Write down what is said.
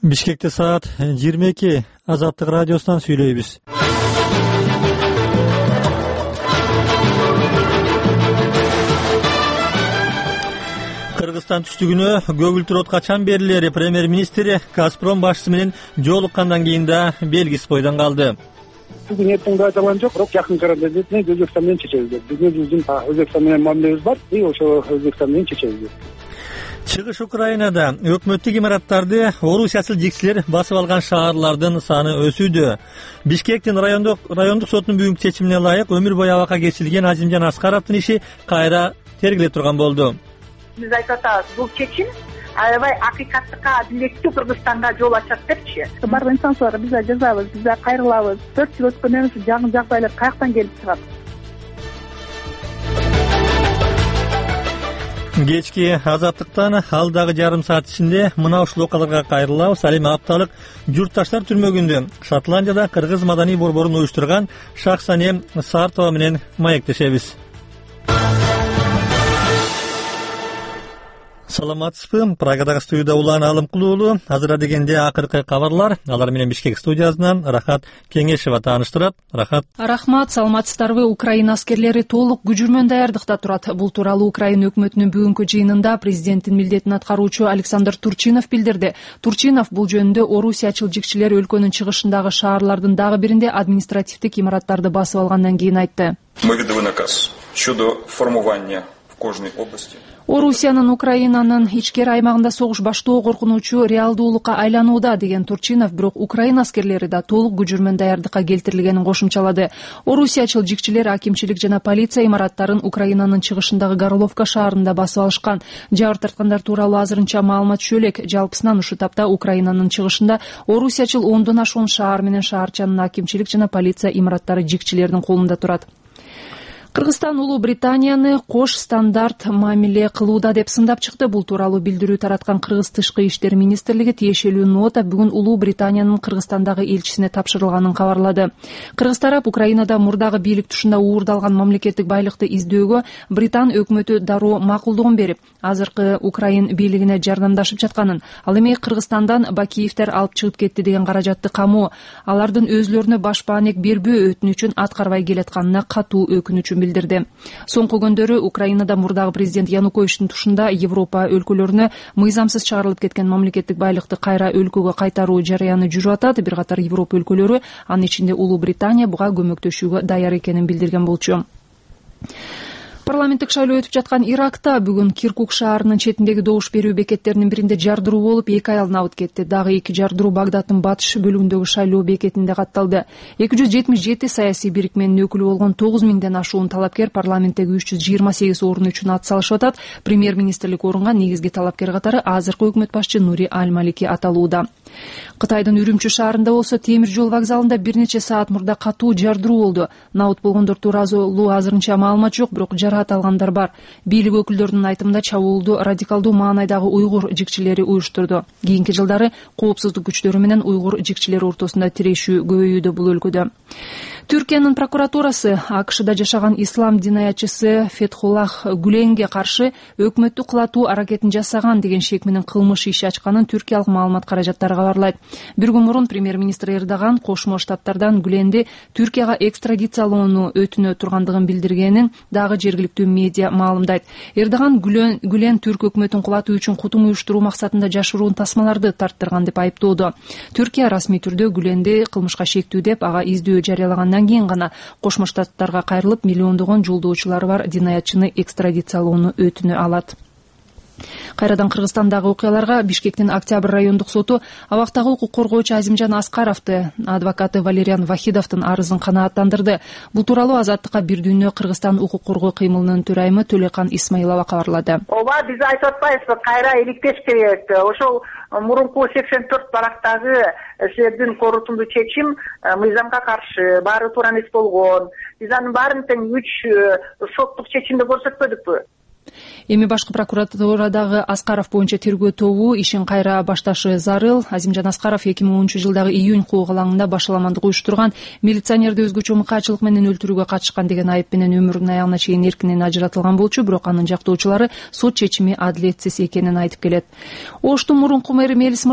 Бишкекте саат 22. Азаттык радиосунан сүйлөйбүз. Кыргызстан түштүгүнө көгүлтүр от качан берилери премьер-министри Газпром башчысы менен жолуккандан кийин да белгисиз бойдон калды. Бүгүн эртең айтылган жок, бирок жакын арада Өзбекстан менен чечебиз деп. Биздин өзүбүздүн Өзбекстан менен мамилебиз бар, ошо Өзбекстан менен чечебиз деп. Чыгыш Украинада өкмөттүк имараттарды орусиячыл жигчилер басып алган шаарлардын саны өсүүдө. Бишкектин райондук сотунун бүгүнкү чечимине ылайык өмүр бою абакка кечирилген Азимжан Аскаровдун иши кайра тергеле турган болду. Биз айтып атабыз, бул чечим аябай акыйкаттыкка, адилеттүү Кыргызстанга жол ачат депчи. Бардык инсанчыларга биз жазабыз, биз кайрылабыз. 4 жыл өткөндөн кийин жаңы жагдайлар каяктан келип чыгат? Кечки Азаттыктан алдагы жарым саат ичинде мына ушул окуяларга кайрылабыз. Ал эми апталык журтташтар түрмөгүндө Шотландияда кыргыз маданий борборун уюштурган Шахсане Сартова менен маектешебиз. Саламатсызбы? Прагадагы студияда Улан Алымкулуу уулу. Азыр дегенде акыркы кабарлар. Алар менен Бишкек студиясынан Рахат Кеңешева тааныштырат. Рахат. Рахмат, саламатсыздарбы? Украина аскерлери толук күчүрмөн даярдыкта турат. Бул тууралуу Украина өкмөтүнүн бүгүнкү жыйынында президенттин милдетин аткаруучу Александр Турчинов билдирди. Турчинов бул жөнүндө орусиячыл жигчилер өлкөнүн чыгышындагы шаарлардын дагы биринде административдик имараттарды басып алгандан кийин айтты. Мы видели наказ щодо формирования в кожной области. Орусиянын Украинанын ичкери аймагында согуш баштоо коркунучу реалдуулукка айланууда деген Турчинов, бирок Украина аскерлери да толук күчүрмөн даярдыкка келтирилгенин кошумчалады. Орусиячыл жигчилер акимчилик жана полиция имараттарын Украинанын чыгышындагы Горловка шаарында басып алышкан. Жабыр тарткандар тууралуу азырынча маалымат түшө элек. Жалпысынан ушул тапта Украинанын чыгышында орусиячыл 10дон ашуун шаар менен шаарчанын акимчилик жана полиция имараттары жигчилердин колунда турат. Кыргызстан Улуу Британияны кош стандарт мамиле кылууда деп сындап чыкты. Бул тууралуу билдирүү тараткан Кыргыз Тышкы иштер министрлиги тиешелүү нота бүгүн Улуу Британиянын Кыргызстандагы элчисине тапшырылганын кабарлады. Кыргыз тарап Украинада мурдагы бийлик тушунда уурдалган мамлекеттик байлыкты издөөгө Британ өкмөтү дароо макулдугун берип, азыркы Украин бийлигине жардамдашып жатканын, ал эми Кыргызстандан Бакиевдер алып чыгып кетти деген каражатты камоо, алардын өзлөрүнө баш баанек бербөө өтүнүчүн аткарбай келатканына катуу өкүнүчүн билдирди. Соңку күндөрү Украинада мурдагы президент Януковичтин тушунда Европа өлкөлөрүнө мыйзамсыз чыгарылып кеткен мамлекеттик байлыкты кайра өлкөгө кайтаруу жараяны жүрүп атат. Бир катар Европа өлкөлөрү, анын ичинде Улуу Британия, буга көмөктөшүүгө даяр экенин билдирген болчу. Парламенттик шайлоо өтүп жаткан Иракта бүгүн Киркук шаарынын четиндеги добуш берүү бекеттеринин биринде жардыруу болуп, 2 аял набыт кетти. Дагы 2 жардыруу Багдадтын батыш бөлүгүндөгү шайлоо бекетинде катталды. 277 саясий бирикменин өкүлү болгон 9000ден ашуун талапкер парламенттеги 328 орун үчүн ат салышып атат. Премьер-министрлик орунга негизги талапкер катары азыркы өкмөт башчы Нури Аль-Малики аталууда. Кытайдын Үрүмчү шаарында болсо темир жол вокзалында бир нече саат мурда катуу жардыруу болду. Набыт болгондор тууралуу азырынча маалымат жок, бирок жараат алгандар бар. Бийлик өкүлдөрүнүн айтымында чабуулду радикалдуу маанайдагы уйгур жигчилери уюштурду. Кийинки жылдары коопсуздук күчтөрү менен уйгур жигчилери ортосунда тирешүү көбөйүүдө бул өлкөдө. Түркиянын прокуратурасы АКШда жашаган ислам динаятчысы Фетхуллах Гүленге каршы өкмөттү кулатуу аракетин жасаган деген шек менен кылмыш иши ачканын түркиялык маалымат каражаттары кабарлайт. Бир күн мурун премьер-министр Эрдоган Кошмо Штаттардан Гүленди Түркияга экстрадициялоону өтүнө тургандыгын билдиргенин дагы жергиликтүү медиа маалымдайт. Эрдоган Гүлен түрк өкмөтүн кулатуу үчүн кутум уюштуруу максатында жашыруун тасмаларды тарттырган деп айыптоодо. Түркия расмий түрдө Гүленди кылмышка шектүү деп ага издөө жарыялагандан кийин гана Кошмо Штаттарга кайрылып миллиондогон жолдоочулары бар динаятчыны экстрадициялоону өтүнө алат. Кайрадан Кыргызстандагы окуяларга. Бишкектин Октябрь райондук соту абактагы укук коргоочу Азимжан Аскаровду адвокаты Валериан Вахидовдун арызын канааттандырды. Бул тууралуу Азаттыкка Бир дүйнө Кыргызстан укук коргоо кыймылынын төрайымы Төлөкан Исмаилова кабарлады. Ооба, биз айтып атпайбызбы, кайра иликтеш керек. Ошол мурунку 84 барактагы силердин корутундуу чечим мыйзамга каршы, баары туура эмес болгон. Биз анын баарын тең 3 соттук чечимде көрсөтпөдүкпү? Эми башкы прокуратурадагы Аскаров боюнча тергөө тобу ишин кайра башташы зарыл. Азимжан Аскаров 2010-жылдагы июнь куук алаңында башаламандык уюштурган, милиционерди өзгөчө мыкаачылык менен өлтүрүүгө катышкан деген айып менен өмүрүнүн аягына чейин эркинен ажыратылган болчу, бирок анын жактоочулары сот чечими адилетсиз экенин айтып келет. Оштун мурунку мэри Мелис